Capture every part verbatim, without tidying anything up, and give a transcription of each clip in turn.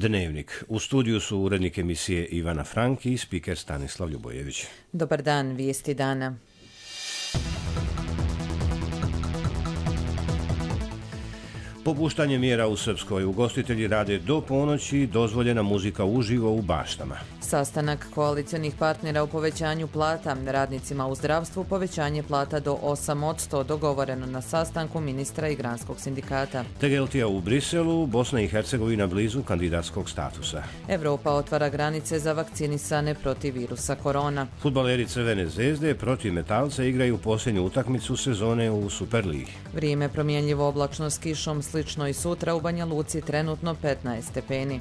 Dnevnik. U studiju su urednik emisije Ivana Frank i spiker Stanislav Ljubojević. Dobar dan, vijesti dana. Popuštanje mjera u Srpskoj. Ugostitelji rade do ponoći, dozvoljena muzika uživo u baštama. Sastanak koalicionih partnera u povećanju plata. Radnicima u zdravstvu povećanje plata do osam posto dogovoreno na sastanku ministra i granskog sindikata. Tegeltija u Briselu, Bosna i Hercegovina blizu kandidatskog statusa. Evropa otvara granice za vakcinisane protiv virusa korona. Fudbaleri Crvene zvezde protiv Metalca igraju posljednju utakmicu sezone u Superligi. Vrijeme promjenljivo, oblačno s kišom, slično i sutra u Banja Luci, trenutno petnaest stepeni.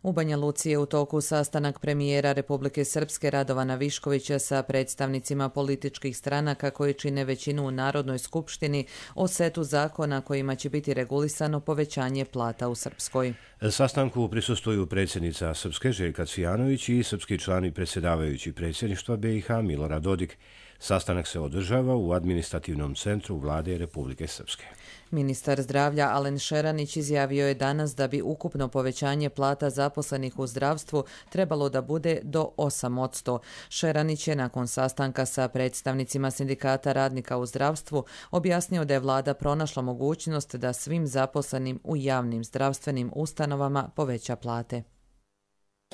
U Banja Luci je u toku sastanak premijera Republike Srpske Radovana Viškovića sa predstavnicima političkih stranaka koji čine većinu u Narodnoj skupštini o setu zakona kojima će biti regulisano povećanje plata u Srpskoj. Sastanku prisustvuju predsjednica Srpske Željka Cvijanović i srpski član i predsjedavajući predsjedništva B i H Milorad Dodik. Sastanak se održava u administrativnom centru Vlade Republike Srpske. Ministar zdravlja Alen Šeranić izjavio je danas da bi ukupno povećanje plata zaposlenih u zdravstvu trebalo da bude do osam posto. Šeranić je nakon sastanka sa predstavnicima sindikata radnika u zdravstvu objasnio da je vlada pronašla mogućnost da svim zaposlenim u javnim zdravstvenim ustanovama poveća plate.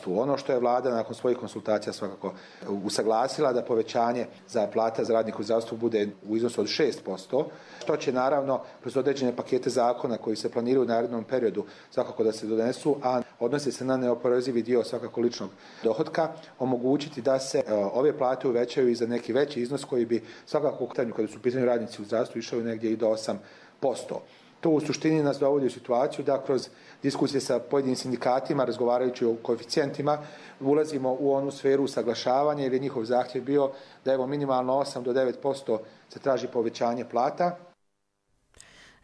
Ono što je vlada nakon svojih konsultacija svakako usaglasila da povećanje za plata za radnike u zdravstvu bude u iznosu od šest posto, što će naravno kroz određene pakete zakona koji se planiraju u narednom periodu svakako da se donesu, a odnosi se na neoporezivi dio svakako ličnog dohotka, omogućiti da se ove plate uvećaju i za neki veći iznos koji bi svakako kada su u pitanju radnici u zdravstvu išao negdje i do osam posto. To u suštini nas dovodi u situaciju da kroz diskusije sa pojedinim sindikatima, razgovarajući o koeficijentima, ulazimo u onu sferu usaglašavanja jer je njihov zahtjev bio da evo minimalno osam do devet posto se traži povećanje plata.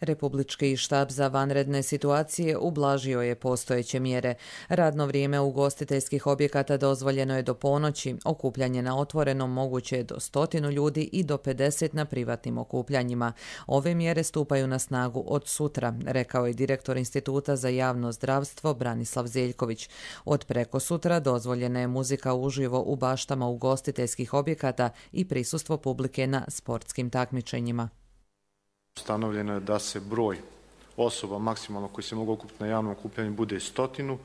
Republički štab za vanredne situacije ublažio je postojeće mjere. Radno vrijeme ugostiteljskih objekata dozvoljeno je do ponoći, okupljanje na otvorenom moguće je do stotinu ljudi i do pedeset na privatnim okupljanjima. Ove mjere stupaju na snagu od sutra, rekao je direktor Instituta za javno zdravstvo Branislav Zeljković. Od preko sutra dozvoljena je muzika uživo u baštama ugostiteljskih objekata i prisustvo publike na sportskim takmičenjima. Ustanovljeno je da se broj osoba maksimalno koji se mogu okupiti na javnom okupljanju bude stotinu,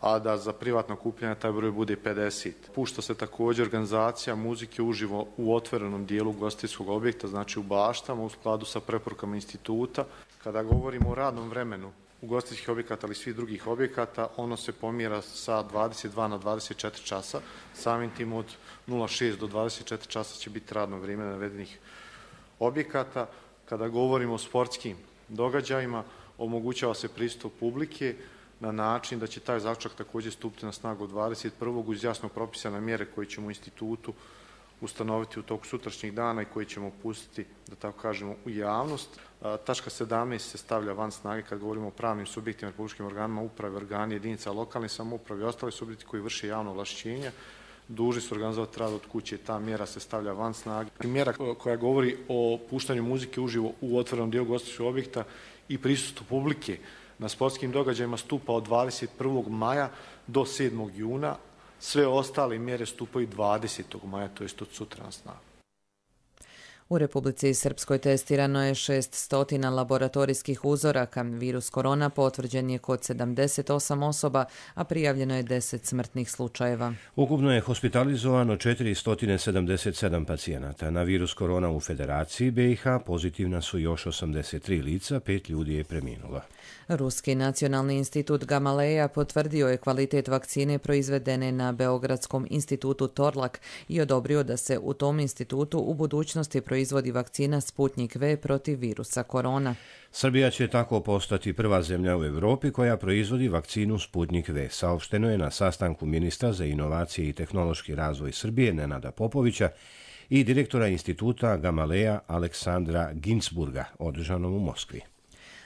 a da za privatno okupljanje taj broj bude pedeset. Pušta se također organizacija muzike uživo u otvorenom dijelu ugostiteljskog objekta, znači u baštama, u skladu sa preporukama instituta. Kada govorimo o radnom vremenu ugostiteljskih objekata ali i svih drugih objekata, ono se pomjera sa dvadeset dva na dvadeset četiri časa. Samim tim od nula šest do dvadeset četiri časa će biti radno vrijeme navedenih objekata. Kada govorimo o sportskim događajima, omogućava se pristup publike na način da će taj zaključak također stupiti na snagu dvadeset prvog uz jasno propisane mjere koje ćemo u institutu ustanoviti u toku sutrašnjih dana i koje ćemo pustiti, da tako kažemo, u javnost. Tačka sedamnaest se stavlja van snage kad govorimo o pravnim subjektima, republičkim organima, uprave, organi jedinica lokalne samouprave i ostali subjekti koji vrše javno ovlašćenja. Dužni su organizovati rad od kuće, ta mjera se stavlja van snage. Mjera koja govori o puštanju muzike uživo u otvorenom dijelu ugostiteljskog objekta i prisustvu publike na sportskim događajima stupa od dvadeset prvog maja do sedmog juna. Sve ostale mjere stupaju dvadesetog maja, to jest od sutra na snagu. U Republici Srpskoj testirano je šesnaest laboratorijskih uzoraka. Virus korona potvrđen je kod sedamdeset osam osoba, a prijavljeno je deset smrtnih slučajeva. Ukupno je hospitalizovano četiristo sedamdeset sedam pacijenata. Na virus korona u Federaciji B i H pozitivna su još osamdeset tri lica, pet ljudi je preminulo. Ruski nacionalni institut Gamaleja potvrdio je kvalitet vakcine proizvedene na Beogradskom institutu Torlak i odobrio da se u tom institutu u budućnosti proizvodi vakcina Sputnik V protiv virusa korona. Srbija će tako postati prva zemlja u Europi koja proizvodi vakcinu Sputnik V. Saopšteno je na sastanku ministra za inovacije i tehnološki razvoj Srbije Nenada Popovića i direktora instituta Gamaleja Aleksandra Ginzburga, održanom u Moskvi.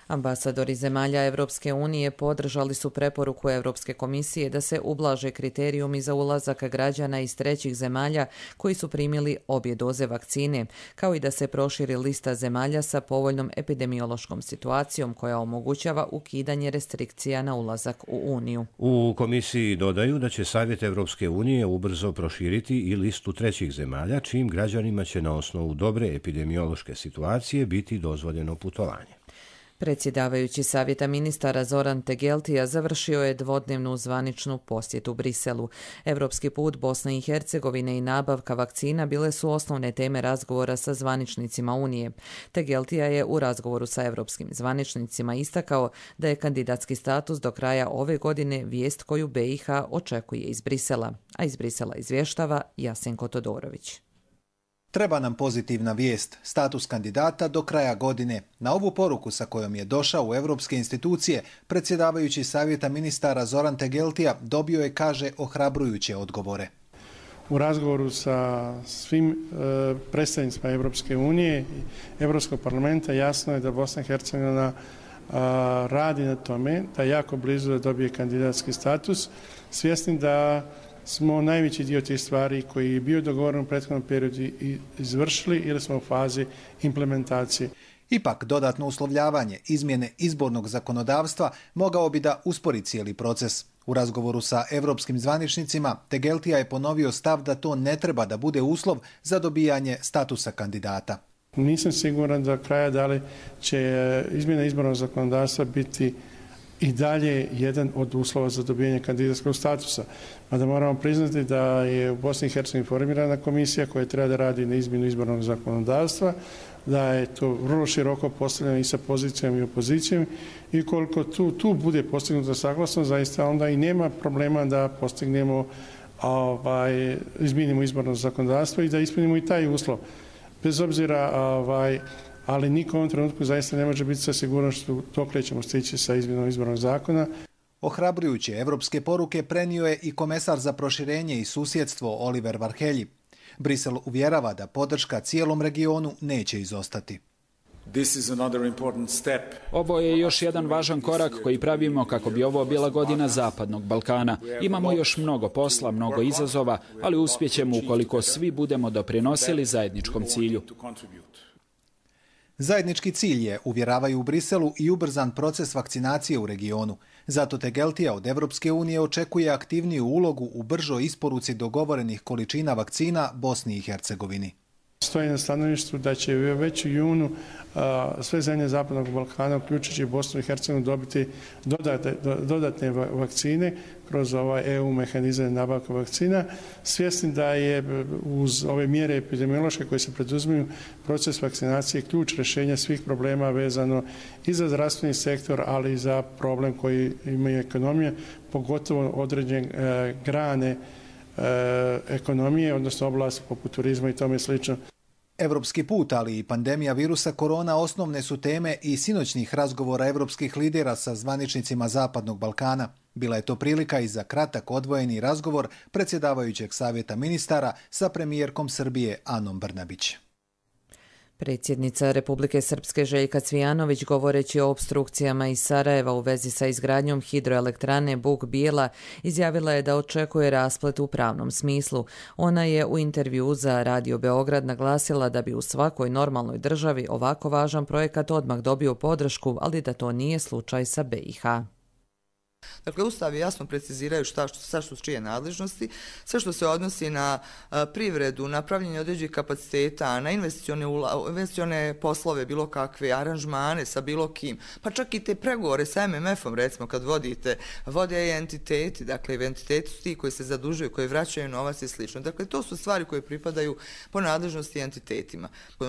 Ambasadori zemalja Europske unije podržali su preporuku Europske komisije da se ublaže kriterijumi za ulazak građana iz trećih zemalja koji su primili obje doze vakcine, kao i da se proširi lista zemalja sa povoljnom epidemiološkom situacijom koja omogućava ukidanje restrikcija na ulazak u Uniju. U komisiji dodaju da će Savjet Europske unije ubrzo proširiti i listu trećih zemalja, čijim građanima će na osnovu dobre epidemiološke situacije biti dozvoljeno putovanje. Predsjedavajući Savjeta ministara Zoran Tegeltija završio je dvodnevnu zvaničnu posjetu Briselu. Europski put Bosne i Hercegovine i nabavka vakcina bile su osnovne teme razgovora sa zvaničnicima Unije. Tegeltija je u razgovoru sa europskim zvaničnicima istakao da je kandidatski status do kraja ove godine vijest koju B i H očekuje iz Brisela, a iz Brisela izvještava Jasenko Todorović. Treba nam pozitivna vijest, status kandidata do kraja godine. Na ovu poruku sa kojom je došao u europske institucije, predsjedavajući Savjeta ministara Zoran Tegeltija dobio je, kaže, ohrabrujuće odgovore. U razgovoru sa svim e, predstavnicima Europske unije i Europskog parlamenta jasno je da Bosna i Hercegovina a, radi na tome da je jako blizu da dobije kandidatski status, svjesni da smo najveći dio tih stvari koji je bio dogovoren u prethodnom periodu izvršili ili smo u fazi implementacije. Ipak, dodatno uslovljavanje izmjene izbornog zakonodavstva mogao bi da uspori cijeli proces. U razgovoru sa europskim zvaničnicima, Tegeltija je ponovio stav da to ne treba da bude uslov za dobijanje statusa kandidata. Nisam siguran do kraja da li će izmjena izbornog zakonodavstva biti i dalje jedan od uslova za dobijanje kandidatskog statusa. Mada moramo priznati da je u Bosni i Hercegovini formirana komisija koja treba da radi na izmjenu izbornog zakonodavstva, da je to vrlo široko postavljeno i sa pozicijom i opozicijom i koliko tu, tu bude postignuto saglasno, zaista onda i nema problema da postignemo, ovaj, izmijenimo izborno zakonodavstvo i da ispunimo i taj uslov. Bez obzira, ovaj, ali niko u ovom trenutku zaista ne može biti sa sigurnošću dok ćemo stići sa izmjenom izbornog zakona. Ohrabrujuće evropske poruke prenio je i komesar za proširenje i susjedstvo Oliver Varhelyi. Brisel uvjerava da podrška cijelom regionu neće izostati. Ovo je još jedan važan korak koji pravimo kako bi ovo bila godina Zapadnog Balkana. Imamo još mnogo posla, mnogo izazova, ali uspjećemo ukoliko svi budemo doprinosili zajedničkom cilju. Zajednički cilj je, uvjeravaju u Briselu, i ubrzan proces vakcinacije u regionu. Zato Tegeltija od Evropske unije očekuje aktivniju ulogu u bržoj isporuci dogovorenih količina vakcina Bosni i Hercegovini. Stoji na stanovištu da će već u junu a, sve zemlje Zapadnog Balkana, uključujući Bosnu i Hercegovinu, dobiti dodate, dodatne vakcine kroz ovaj E U mehanizam nabavka vakcina, svjesni da je uz ove mjere epidemiološke koje se preduzimaju proces vakcinacije ključ rješenja svih problema vezano i za zdravstveni sektor, ali i za problem koji imaju ekonomije, pogotovo određene e, grane e, ekonomije, odnosno oblasti poput turizma i tome slično. Evropski put, ali i pandemija virusa korona osnovne su teme i sinoćnih razgovora evropskih lidera sa zvaničnicima Zapadnog Balkana. Bila je to prilika i za kratak odvojeni razgovor predsjedavajućeg Savjeta ministara sa premijerkom Srbije Anom Brnabić. Predsjednica Republike Srpske Željka Cvijanović, govoreći o opstrukcijama iz Sarajeva u vezi sa izgradnjom hidroelektrane Buk Bijela, izjavila je da očekuje rasplet u pravnom smislu. Ona je u intervjuu za Radio Beograd naglasila da bi u svakoj normalnoj državi ovako važan projekat odmah dobio podršku, ali da to nije slučaj sa B i H. Dakle, ustavi jasno preciziraju šta, šta su čije nadležnosti, sve što se odnosi na a, privredu, na pravljenje određenih kapaciteta, na investicione, investicione poslove, bilo kakve aranžmane sa bilo kim, pa čak i te pregovore sa M M F-om, recimo, kad vodite, vode i entiteti, dakle, entiteti su ti koji se zadužuju, koji vraćaju novac i slično. Dakle, to su stvari koje pripadaju po nadležnosti entitetima.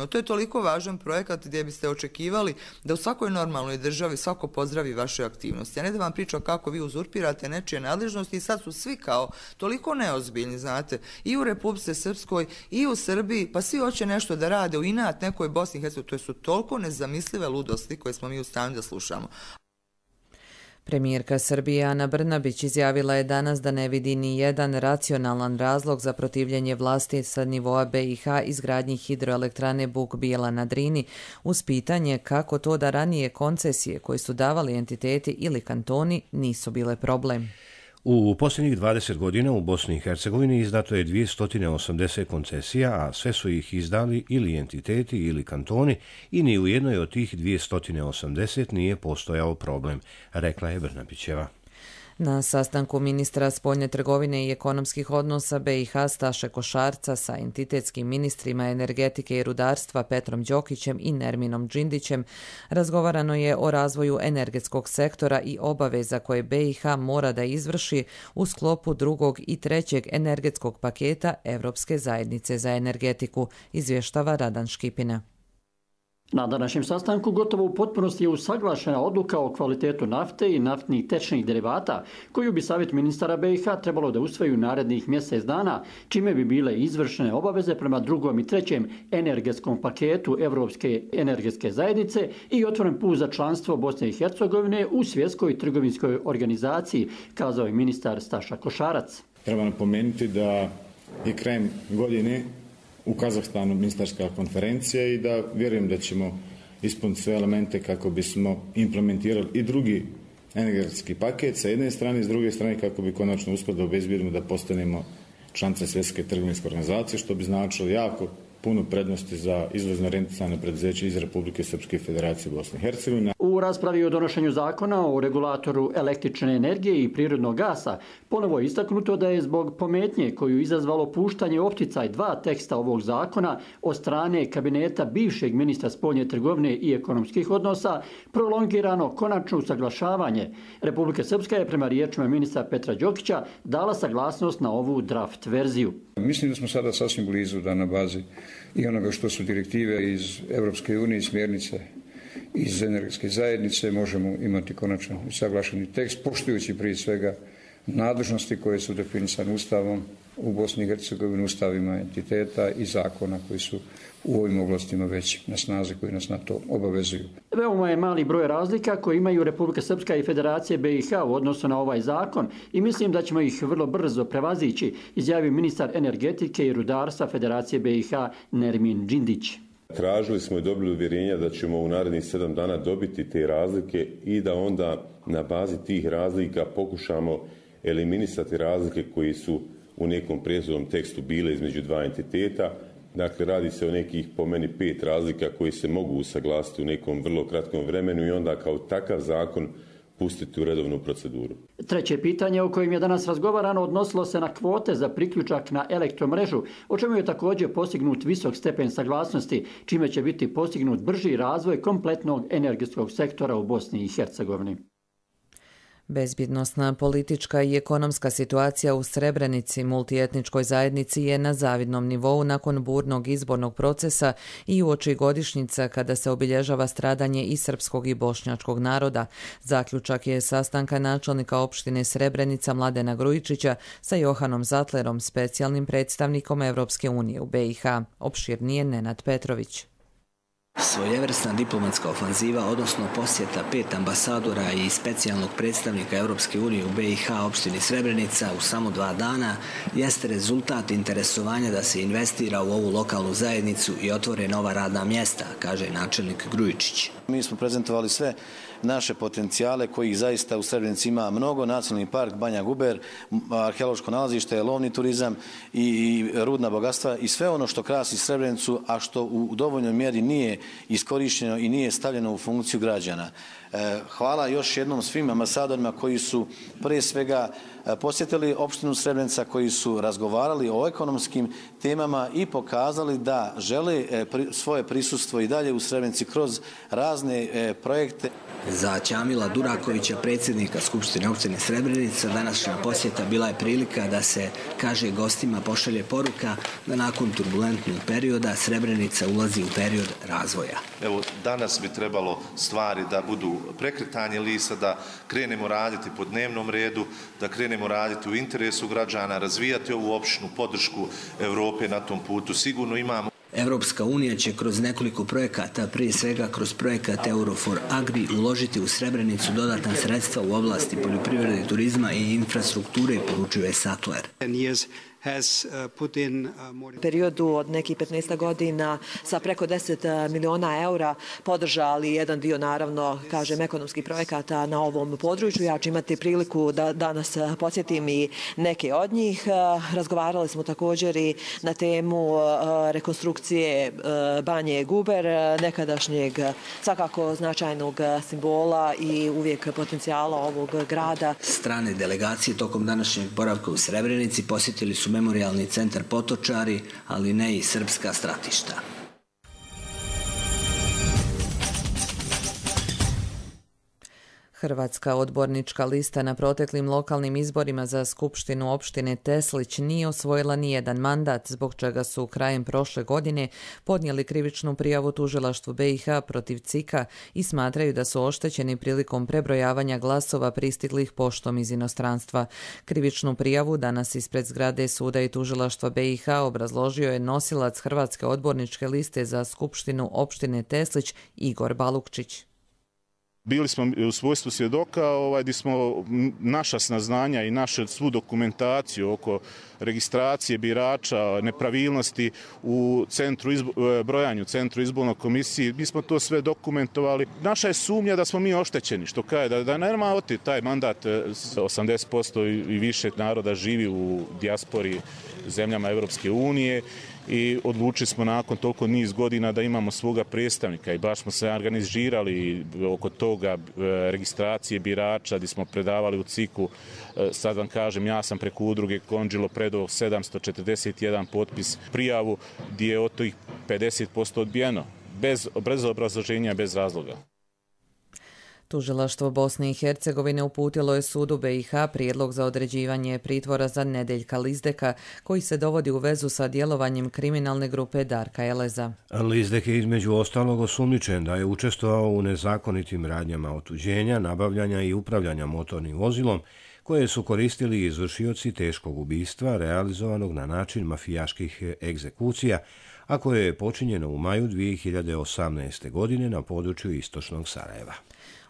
To je toliko važan projekat gdje biste očekivali da u svakoj normalnoj državi svako pozdravi vaše aktivnosti, a ne da vam priča kako vi uzurpirate nečije nadležnosti i sad su svi kao toliko neozbiljni, znate, i u Republici Srpskoj i u Srbiji, pa svi hoće nešto da rade u inat nekoj Bosni i Hercegovini. To su toliko nezamislive ludosti koje smo mi u stanju da slušamo. Premijerka Srbije Ana Brnabić izjavila je danas da ne vidi ni jedan racionalan razlog za protivljenje vlasti sa nivoa B i H izgradnji hidroelektrane Buk Bijela na Drini, uz pitanje kako to da ranije koncesije koje su davali entiteti ili kantoni nisu bile problem. U posljednjih dvadeset godina u Bosni i Hercegovini izdato je dvjesto osamdeset koncesija, a sve su ih izdali ili entiteti ili kantoni i ni u jednoj od tih dvjesto osamdeset nije postojao problem, rekla je Brnabićeva. Na sastanku ministra spoljne trgovine i ekonomskih odnosa B i H Staše Košarca sa entitetskim ministrima energetike i rudarstva Petrom Đokićem i Nerminom Džindićem razgovarano je o razvoju energetskog sektora i obaveza koje B i H mora da izvrši u sklopu drugog i trećeg energetskog paketa Evropske zajednice za energetiku, izvještava Radan Škipina. Na današnjem sastanku gotovo u potpunosti je usaglašena odluka o kvalitetu nafte i naftnih tečnih derivata, koju bi Savjet ministara B i H trebalo da usvoji u narednih mjesec dana, čime bi bile izvršene obaveze prema drugom i trećem energetskom paketu Evropske energetske zajednice i otvoren put za članstvo Bosne i Hercegovine u Svjetskoj trgovinskoj organizaciji, kazao je ministar Staša Košarac. Treba napomenuti da je krajem godine u Kazahstanu ministarska konferencija i da vjerujem da ćemo ispuniti sve elemente kako bismo implementirali i drugi energetski paket sa jedne strane i s druge strane kako bi konačno uspjeli da obezbijedimo da postanemo članice Svjetske trgovinske organizacije, što bi značilo jako puno prednosti za izvozno orijentisano preduzeće iz Republike Srpske Federacije Bosne i Hercegovine. U raspravi o donošenju zakona o regulatoru električne energije i prirodnog gasa ponovo je istaknuto da je zbog pometnje koju izazvalo puštanje opticaj dva teksta ovog zakona od strane kabineta bivšeg ministra spoljne trgovine i ekonomskih odnosa prolongirano konačno usaglašavanje. Republika Srpska je prema riječima ministra Petra Đokića dala saglasnost na ovu draft verziju. Mislim da smo sada sasvim blizu da na bazi i onoga što su direktive iz Europske unije i smjernice iz energetske zajednice možemo imati konačno usaglašeni tekst, poštujući prije svega nadležnosti koje su definisane Ustavom u Bosni i Hercegovini, ustavima entiteta i zakona koji su u ovim oblastima već na snazi, koji nas na to obavezuju. Veoma je mali broj razlika koje imaju Republika Srpska i Federacije B i H u odnosu na ovaj zakon i mislim da ćemo ih vrlo brzo prevazići, izjavio ministar energetike i rudarstva Federacije B i H Nermin Džindić. Tražili smo i dobili uvjerenja da ćemo u narednih sedam dana dobiti te razlike i da onda na bazi tih razlika pokušamo eliminisati razlike koji su u nekom prethodnom tekstu bile između dva entiteta. Dakle, radi se o nekih po meni pet razlika koji se mogu usaglasiti u nekom vrlo kratkom vremenu i onda kao takav zakon pustiti u redovnu proceduru. Treće pitanje o kojem je danas razgovarano odnosilo se na kvote za priključak na elektromrežu, o čemu je također postignut visok stepen saglasnosti, čime će biti postignut brži razvoj kompletnog energetskog sektora u Bosni i Hercegovini. Bezbjednosna politička i ekonomska situacija u Srebrenici, multietničkoj zajednici, je na zavidnom nivou nakon burnog izbornog procesa i uoči godišnjica kada se obilježava stradanje i srpskog i bošnjačkog naroda. Zaključak je sastanka načelnika opštine Srebrenica Mladena Grujičića sa Johanom Zatlerom, specijalnim predstavnikom Evropske unije u B i H. Opširnije Nenad Petrović. Svojevrsna diplomatska ofanziva, odnosno posjeta pet ambasadora i specijalnog predstavnika Europske unije u B i H opštini Srebrenica u samo dva dana, jeste rezultat interesovanja da se investira u ovu lokalnu zajednicu i otvore nova radna mjesta, kaže načelnik Grujičić. Mi smo prezentovali sve naše potencijale kojih zaista u Srebrenici ima mnogo, nacionalni park Banja Guber, arheološko nalazište, lovni turizam i rudna bogatstva i sve ono što krasi Srebrenicu, a što u dovoljnoj mjeri nije iskorišteno i nije stavljeno u funkciju građana. Hvala još jednom svim ambasadorima koji su prije svega posjetili opštinu Srebrenica, koji su razgovarali o ekonomskim temama i pokazali da žele svoje prisustvo i dalje u Srebrenici kroz razne projekte. Za Ćamila Durakovića, predsjednika Skupštine opštine Srebrenica, današnja posjeta bila je prilika da se, kaže gostima, pošalje poruka da nakon turbulentnog perioda Srebrenica ulazi u period razvoja. Evo, danas bi trebalo stvari da budu prekretanje lisa, da krenemo raditi po dnevnom redu, da krenemo raditi u interesu građana, razvijati ovu opštinu, podršku Evrope na tom putu. Sigurno imamo. Europska unija će kroz nekoliko projekata, prije svega kroz projekat Eurofor Agri, uložiti u Srebrenicu dodatna sredstva u oblasti poljoprivrede, turizma i infrastrukture, poručuje Sattler. U periodu od nekih petnaest godina sa preko deset miliona eura podržali jedan dio, naravno, kažem, ekonomskih projekata na ovom području. Ja ću imati priliku da danas podsjetim i neke od njih. Razgovarali smo također i na temu rekonstrukcije banje Guber, nekadašnjeg svakako značajnog simbola i uvijek potencijala ovog grada. Strane delegacije tokom današnjeg boravka u Srebrenici posjetili su Memorijalni centar Potočari, ali ne i srpska stratišta. Hrvatska odbornička lista na proteklim lokalnim izborima za skupštinu opštine Teslić nije osvojila nijedan mandat, zbog čega su krajem prošle godine podnijeli krivičnu prijavu tužilaštvu B i H protiv C I K-a i smatraju da su oštećeni prilikom prebrojavanja glasova pristiglih poštom iz inostranstva. Krivičnu prijavu danas ispred zgrade suda i tužilaštva B i H obrazložio je nosilac Hrvatske odborničke liste za skupštinu opštine Teslić Igor Balukčić. Bili smo u svojstvu svjedoka ovaj, gdje smo naša saznanja i našu svu dokumentaciju oko registracije birača, nepravilnosti u centru izbo, brojanju, centru izbornoj komisiji, mi smo to sve dokumentovali. Naša je sumnja da smo mi oštećeni, što kaže da, da nema oti taj mandat, osamdeset posto i više naroda živi u dijaspori zemljama Europske unije. I odlučili smo nakon toliko niz godina da imamo svoga predstavnika i baš smo se organizirali oko toga registracije birača gdje smo predavali u C I K-u. Sad vam kažem, ja sam preko udruge Konđilo predao sedamsto četrdeset jedan potpis prijavu gdje je od tih pedeset posto odbijeno, bez, bez obrazloženja, bez razloga. Tužilaštvo Bosne i Hercegovine uputilo je sudu B i H prijedlog za određivanje pritvora za Nedeljka Lizdeka, koji se dovodi u vezu sa djelovanjem kriminalne grupe Darka Eleza. Lizdek je između ostalog osumnjičen da je učestvovao u nezakonitim radnjama otuđenja, nabavljanja i upravljanja motornim vozilom, koje su koristili izvršioci teškog ubistva realizovanog na način mafijaških egzekucija, a koje je počinjeno u maju dvije hiljade osamnaeste. godine na području istočnog Sarajeva.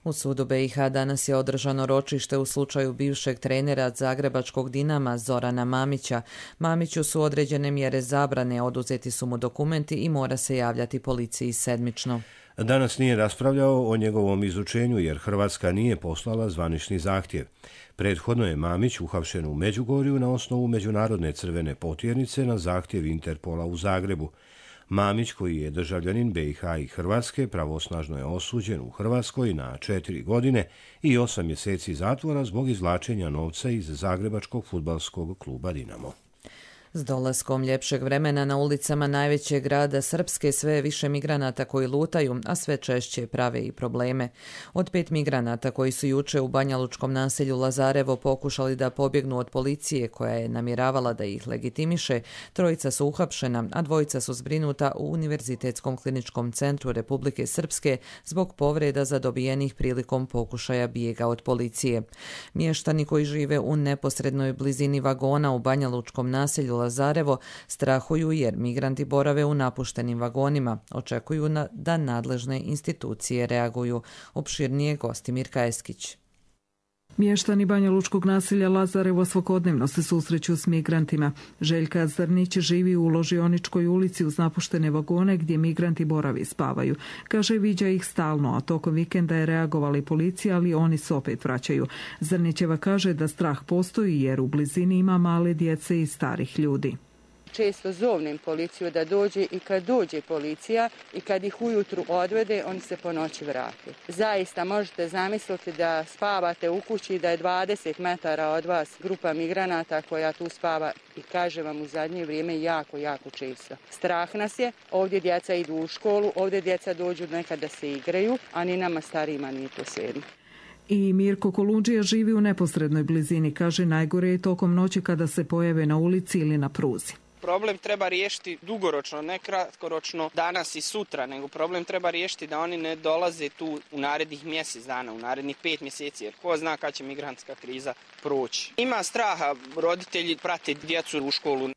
U sudu B i H danas je održano ročište u slučaju bivšeg trenera zagrebačkog Dinama Zorana Mamića. Mamiću su određene mjere zabrane, oduzeti su mu dokumenti i mora se javljati policiji sedmično. Danas nije raspravljao o njegovom izručenju jer Hrvatska nije poslala zvanični zahtjev. Prethodno je Mamić uhapšen u Međugorju na osnovu međunarodne crvene potjernice na zahtjev Interpola u Zagrebu. Mamić, koji je državljanin B i H i Hrvatske, pravosnažno je osuđen u Hrvatskoj na četiri godine i osam mjeseci zatvora zbog izvlačenja novca iz zagrebačkog fudbalskog kluba Dinamo. S dolaskom ljepšeg vremena na ulicama najvećeg grada Srpske sve je više migranata koji lutaju, a sve češće prave i probleme. Od pet migranata koji su juče u banjalučkom naselju Lazarevo pokušali da pobjegnu od policije koja je namjeravala da ih legitimiše, trojica su uhapšena, a dvojica su zbrinuta u Univerzitetskom kliničkom centru Republike Srpske zbog povreda zadobijenih prilikom pokušaja bijega od policije. Mještani koji žive u neposrednoj blizini vagona u banjalučkom naselju Lazarevo strahuju jer migranti borave u napuštenim vagonima. Očekuju na, da nadležne institucije reaguju. Opširnije Gostimir Kajeskić. Mještani banjalučkog naselja Lazarevo svakodnevno se susreću s migrantima. Željka Zrnić živi u Ložioničkoj ulici uz napuštene vagone gdje migranti boravi i spavaju. Kaže, viđa ih stalno, a tokom vikenda je reagovala i policija, ali oni se opet vraćaju. Zrnićeva kaže da strah postoji jer u blizini ima male djece i starih ljudi. Često zovnem policiju da dođe i kad dođe policija i kad ih ujutru odvede, oni se po noći vrate. Zaista možete zamisliti da spavate u kući, da je dvadeset metara od vas grupa migranata koja tu spava i kaže vam u zadnje vrijeme jako, jako često. Strah nas je, ovdje djeca idu u školu, ovdje djeca dođu nekad da se igraju, a ni nama starijima nije to svejedno. I Mirko Kolundžija živi u neposrednoj blizini, kaže najgore je tokom noći kada se pojave na ulici ili na pruzi. Problem treba riješiti dugoročno, ne kratkoročno danas i sutra, nego problem treba riješiti da oni ne dolaze tu u narednih mjesec dana, u narednih pet mjeseci, jer ko zna kad će migrantska kriza proći. Ima straha, roditelji prate djecu u školu.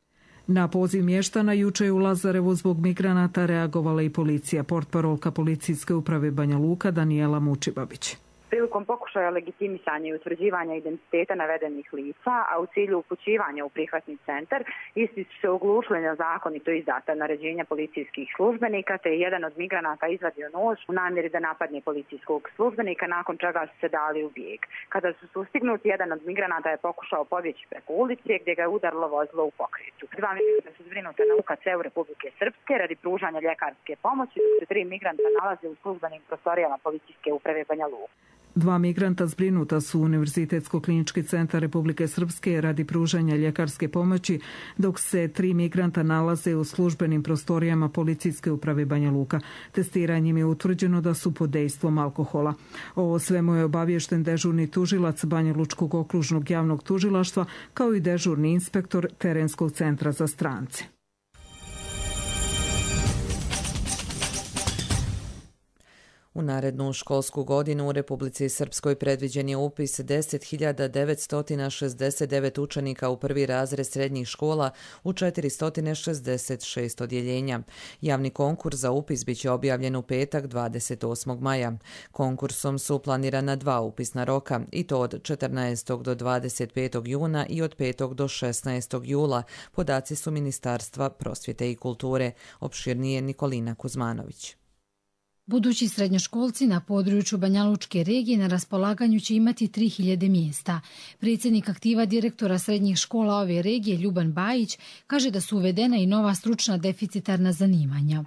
Na poziv mještana juče je u Lazarevu zbog migranata reagovala i policija. Portparolka policijske uprave Banja Luka Danijela Mučibabić. Prilikom pokušaja legitimisanja i utvrđivanja identiteta navedenih lica, a u cilju upućivanja u prihvatni centar, isti su se oglušili na zakonito izdata naređenja policijskih službenika, te je jedan od migranata izvadio nož u namjeri da napadne policijskog službenika, nakon čega su se dali u bijeg. Kada su sustignuti, jedan od migranata je pokušao pobjeći preko ulice, gdje ga je udarilo vozilo u pokretu. Dva migranta su zbrinuta na U K C-u Republike Srpske radi pružanja ljekarske pomoći, dok se tri migranta nalaze u službenim prostorijama policijske uprave Banja Luka. Dva migranta zbrinuta su u Univerzitetsko-klinički centar Republike Srpske radi pružanja ljekarske pomoći, dok se tri migranta nalaze u službenim prostorijama policijske uprave Banja Luka. Testiranjem je utvrđeno da su pod dejstvom alkohola. O svemu je obaviješten dežurni tužilac Banja Lučkog okružnog javnog tužilaštva, kao i dežurni inspektor Terenskog centra za strance. U narednu školsku godinu u Republici Srpskoj predviđen je upis deset hiljada devetsto šezdeset devet učenika u prvi razred srednjih škola u četiristo šezdeset šest odjeljenja. Javni konkurs za upis biće objavljen u petak dvadeset osmog maja. Konkursom su planirana dva upisna roka, i to od četrnaestog do dvadeset petog juna i od petog do šesnaestog jula. Podaci su Ministarstva prosvjete i kulture. Opširnije Nikolina Kuzmanović. Budući srednjoškolci na području Banjalučke regije na raspolaganju će imati tri hiljade mjesta. Predsjednik aktiva direktora srednjih škola ove regije, Ljuban Bajić, kaže da su uvedena i nova stručna deficitarna zanimanja.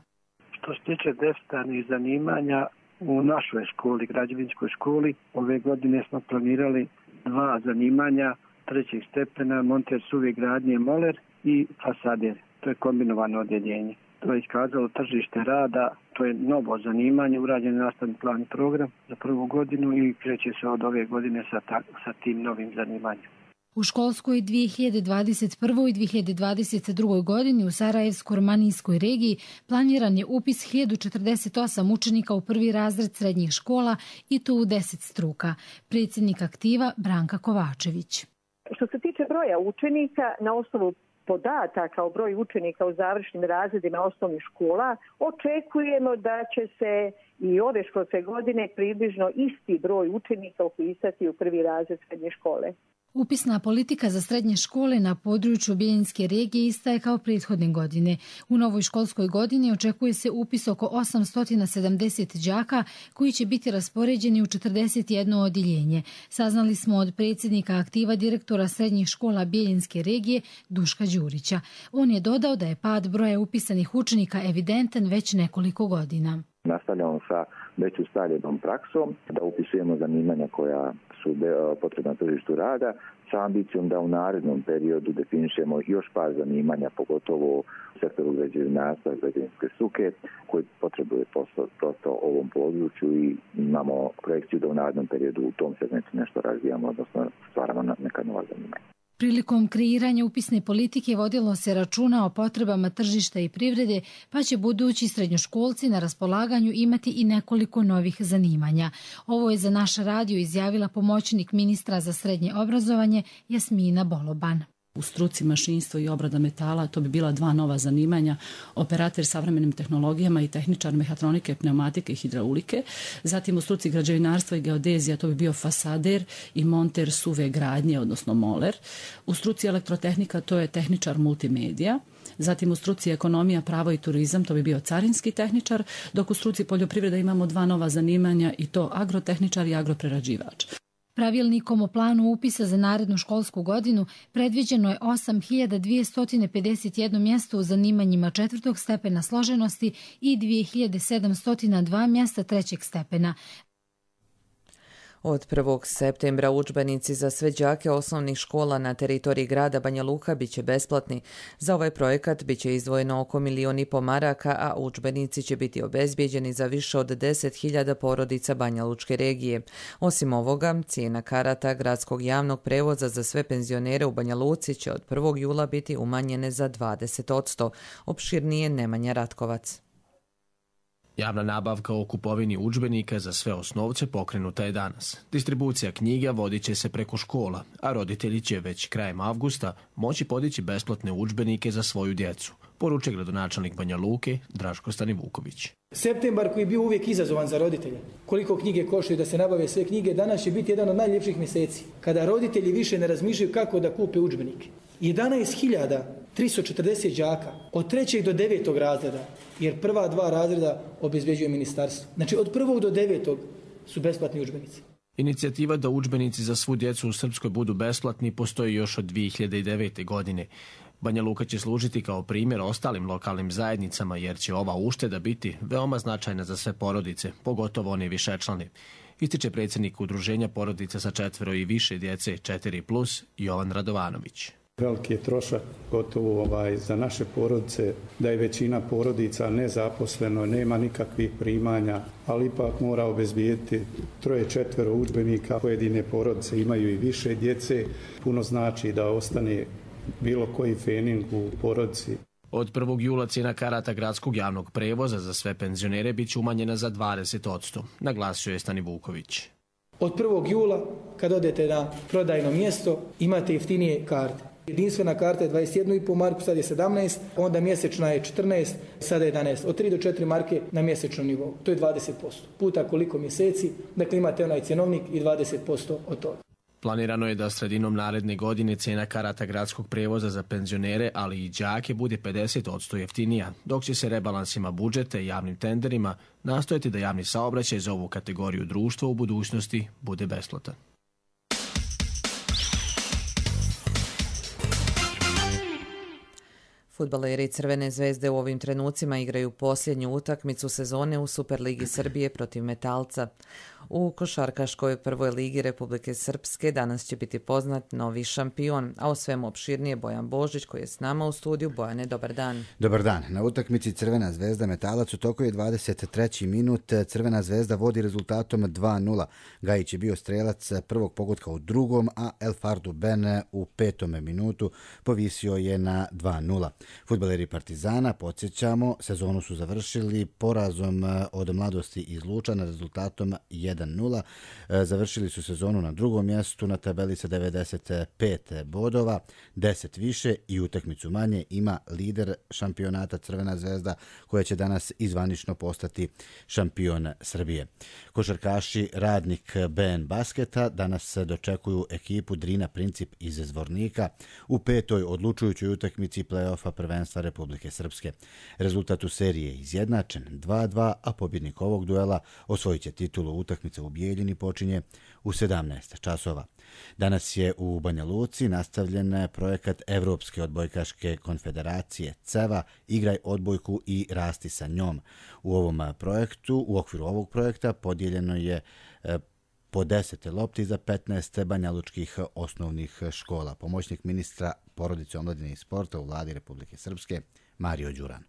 Što se tiče deficitarnih zanimanja, u našoj školi, građevinskoj školi, ove godine smo planirali dva zanimanja trećeg stepena, monter suve gradnje moler i fasader. To je kombinovano odjeljenje. To je iskazalo tržište rada, to je novo zanimanje, urađen nastavni plan i program za prvu godinu i kreće se od ove godine sa, ta, sa tim novim zanimanjem. U školskoj dvije hiljade dvadeset prvoj i dvije hiljade dvadeset drugoj godini u Sarajevsko-Romanijskoj regiji planiran je upis hiljadu četrdeset osam učenika u prvi razred srednjih škola i to u deset struka. Predsjednik aktiva Branka Kovačević. Što se tiče broja učenika, na osnovu podataka o broju učenika u završnim razredima osnovnih škola, očekujemo da će se i ove školske godine približno isti broj učenika upisati u prvi razred srednje škole. Upisna politika za srednje škole na području Bijeljinske regije ista je kao prethodne godine. U novoj školskoj godini očekuje se upis oko osamsto sedamdeset đaka koji će biti raspoređeni u četrdeset jedno odjeljenje. Saznali smo od predsjednika aktiva direktora srednjih škola Bijeljinske regije Duška Đurića. On je dodao da je pad broja upisanih učenika evidentan već nekoliko godina. Nastavljamo sa već ustaljenom praksom da upisujemo zanimanja koja su potrebna na tržištu rada sa ambicijom da u narednom periodu definišemo još par zanimanja, pogotovo u sektoru građevinarstva i građevinske struke koji potrebuje prosto ovom području i imamo projekciju da u narednom periodu u tom segmentu nešto razvijamo, odnosno stvaramo neka nova zanimanja. Prilikom kreiranja upisne politike vodilo se računa o potrebama tržišta i privrede, pa će budući srednjoškolci na raspolaganju imati i nekoliko novih zanimanja. Ovo je za naš radio izjavila pomoćnik ministra za srednje obrazovanje Jasmina Boloban. U struci mašinstvo i obrada metala to bi bila dva nova zanimanja, operater savremenim tehnologijama i tehničar mehatronike, pneumatike i hidraulike. Zatim u struci građevinarstva i geodezija to bi bio fasader i monter suve gradnje, odnosno moler. U struci elektrotehnika to je tehničar multimedija. Zatim u struci ekonomija, pravo i turizam to bi bio carinski tehničar, dok u struci poljoprivreda imamo dva nova zanimanja i to agrotehničar i agroprerađivač. Pravilnikom o planu upisa za narednu školsku godinu predviđeno je osam hiljada dvjesto pedeset jedno mjesto u zanimanjima četvrtog stepena složenosti i dvije hiljade sedamsto dva mjesta trećeg stepena. Od prvog septembra udžbenici za sve đake osnovnih škola na teritoriji grada Banja Luka biće besplatni. Za ovaj projekat biće izdvojeno oko milijon i po maraka, a udžbenici će biti obezbijeđeni za više od deset hiljada porodica Banja Lučke regije. Osim ovoga, cijena karata gradskog javnog prevoza za sve penzionere u Banja Luci će od prvog jula biti umanjene za dvadeset posto. Opširnije Nemanja Ratkovac. Javna nabavka o kupovini udžbenika za sve osnovce pokrenuta je danas. Distribucija knjiga vodit će se preko škola, a roditelji će već krajem avgusta moći podići besplatne udžbenike za svoju djecu, poručuje gradonačelnik Banja Luke Draško Stanivuković. Septembar koji je bio uvijek izazovan za roditelje, koliko knjige koštaju da se nabave sve knjige, danas će biti jedan od najljepših mjeseci, kada roditelji više ne razmišljaju kako da kupe udžbenike. jedanaest hiljada tristo četrdeset đaka od trećeg do devetog razreda, jer prva dva razreda obezbeđuje ministarstvo. Znači od prvog do devetog su besplatni udžbenici. Inicijativa da udžbenici za svu djecu u Srpskoj budu besplatni postoji još od dvije hiljade devete. godine. Banja Luka će služiti kao primjer ostalim lokalnim zajednicama jer će ova ušteda biti veoma značajna za sve porodice, pogotovo one višečlane. Ističe predsjednik udruženja porodica sa četvero i više djece četiri plus Jovan Radovanović. Veliki je trošak gotovo ovaj, za naše porodice, da je većina porodica nezaposleno, nema nikakvih primanja, ali ipak mora obezbijediti troje, četvero udžbenika. Pojedine porodice imaju i više djece, puno znači da ostane bilo koji fening u porodici. Od prvog jula cijena karata gradskog javnog prevoza za sve penzionere bit će umanjena za dvadeset posto, naglasio je Stanivuković. Od prvog jula, kad odete na prodajno mjesto, imate jeftinije karte. Jedinstvena karta je dvadeset jedna zarez pet marku, sad je sedamnaest, onda mjesečna je četrnaest, sada je jedanaest. Od tri do četiri marke na mjesečnom nivou. To je dvadeset posto. Puta koliko mjeseci, dakle imate onaj cjenovnik i dvadeset posto od toga. Planirano je da sredinom naredne godine cijena karata gradskog prevoza za penzionere, ali i đake bude pedeset posto jeftinija, dok će se rebalansima budžeta i javnim tenderima nastojati da javni saobraćaj za ovu kategoriju društva u budućnosti bude besplatan. Fudbaleri Crvene zvezde u ovim trenucima igraju posljednju utakmicu sezone u Superligi Srbije protiv Metalca. U košarkaškoj prvoj ligi Republike Srpske danas će biti poznat novi šampion, a o svemu opširnije Bojan Božić koji je s nama u studiju. Bojane, dobar dan. Dobar dan. Na utakmici Crvena zvezda Metalac u toku je dvadeset treći minut. Crvena zvezda vodi rezultatom dva nula. Gajić je bio strelac prvog pogotka u drugom, a El Fardu Ben u petom minutu povisio je na dva nula. Fudbaleri Partizana, podsjećamo, sezonu su završili porazom od Mladosti iz Lučana rezultatom jedan nula. Završili su sezonu na drugom mjestu na tabeli sa devedeset pet bodova, deset više i utakmicu manje ima lider šampionata Crvena zvezda koja će danas izvanično postati šampion Srbije. Košarkaši Radnik B N Basketa danas dočekuju ekipu Drina Princip iz Zvornika u petoj odlučujućoj utakmici play-offa prvenstva Republike Srpske. Rezultat u seriji je izjednačen dva dva, a pobjednik ovog duela osvojit će titulu. Utakmica u Bijeljini počinje u sedamnaest časova. Danas je u Banja Luci nastavljen projekat Evropske odbojkaške konfederacije CEVA Igraj odbojku i rasti sa njom. U ovom projektu, u okviru ovog projekta podijeljeno je po deset lopti za petnaest banjalučkih osnovnih škola. Pomoćnik ministra porodice, omladine i sporta u vladi Republike Srpske Mario Đuran.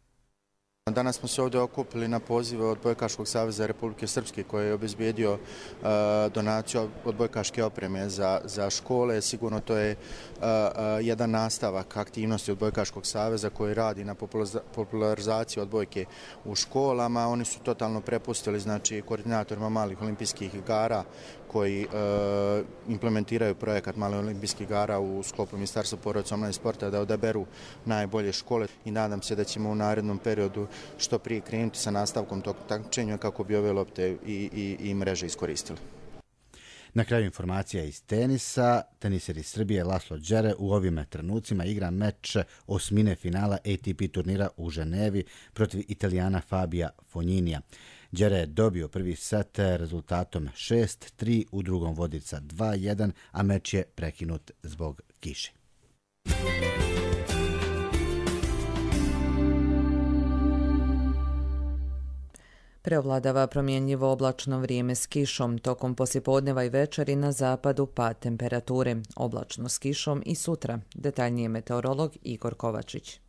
Danas smo se ovdje okupili na pozive Odbojkaškog saveza Republike Srpske koji je obezbijedio uh, donaciju odbojkaške opreme za, za škole. Sigurno to je uh, uh, jedan nastavak aktivnosti Odbojkaškog saveza koji radi na popularizaciji odbojke u školama. Oni su totalno prepustili znači, koordinatorima malih olimpijskih igara koji uh, implementiraju projekat malih olimpijskih igara u sklopu Ministarstva porodice, omladine i sporta da odaberu najbolje škole i nadam se da ćemo u narednom periodu što prije krenuti sa nastavkom tog takmičenja kako bi ove lopte i, i, i mreže iskoristili. Na kraju informacija iz tenisa. Teniser iz Srbije Laslo Đere u ovim trenucima igra meč osmine finala A T P turnira u Ženevi protiv Italijana Fabija Fogninija. Đere je dobio prvi set rezultatom šest tri, u drugom vodi sa dva jedan, a meč je prekinut zbog kiše. Preovladava promjenjivo oblačno vrijeme s kišom, tokom poslijepodneva i večeri na zapadu pad temperature, oblačno s kišom i sutra. Detaljnije meteorolog Igor Kovačić.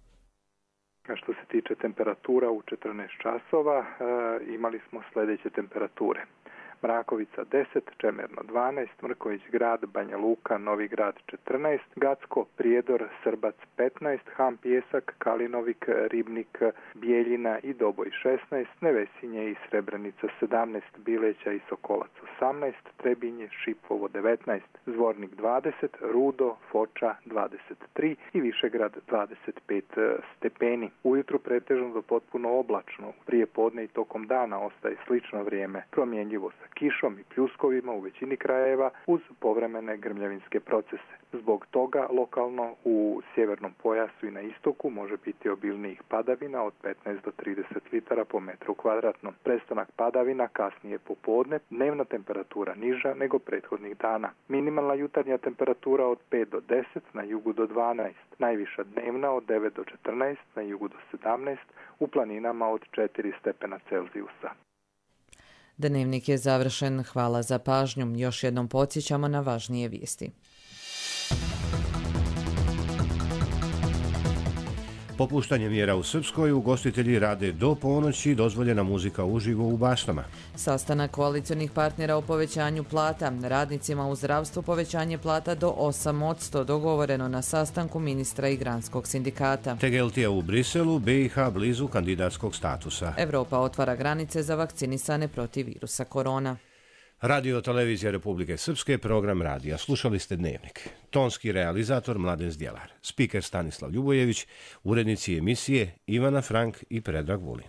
Što se tiče temperatura u četrnaest časova, e, imali smo sljedeće temperature. Mrakovica deset, Čemerno dvanaest, Mrković Grad, Banja Luka, Novi Grad četrnaest, Gacko, Prijedor, Srbac petnaest, Ham Pijesak, Kalinovik, Ribnik, Bijeljina i Doboj šesnaest, Nevesinje i Srebrenica sedamnaest, Bileća i Sokolac osamnaest, Trebinje, Šipovo devetnaest, Zvornik dvadeset, Rudo, Foča dvadeset tri i Višegrad dvadeset pet stepeni. Ujutru pretežno do potpuno oblačno, prije podne i tokom dana ostaje slično vrijeme, promjenjivo sa kišom i pljuskovima u većini krajeva uz povremene grmljavinske procese. Zbog toga lokalno u sjevernom pojasu i na istoku može biti obilnijih padavina od petnaest do trideset litara po metru kvadratnom. Prestanak padavina kasnije popodne, dnevna temperatura niža nego prethodnih dana. Minimalna jutarnja temperatura od pet do deset, na jugu do dvanaest, najviša dnevna od devet do četrnaest, na jugu do sedamnaest, u planinama od četiri stepena Celzijusa. Dnevnik je završen. Hvala za pažnju. Još jednom podsjećamo na važnije vijesti. Popuštanje mjera u Srpskoj, ugostitelji rade do ponoći, dozvoljena muzika uživo u baštama. Sastanak koalicionih partnera o povećanju plata. Radnicima u zdravstvu povećanje plata do osam posto dogovoreno na sastanku ministra i granskog sindikata. Tegeltija u Briselu, B i H blizu kandidatskog statusa. Evropa otvara granice za vakcinisane protiv virusa korona. Radio Televizija Republike Srpske, program radija. Slušali ste Dnevnik. Tonski realizator Mladen Zdjelar. Spiker Stanislav Ljubojević, urednici emisije Ivana Frank i Predrag Vulin.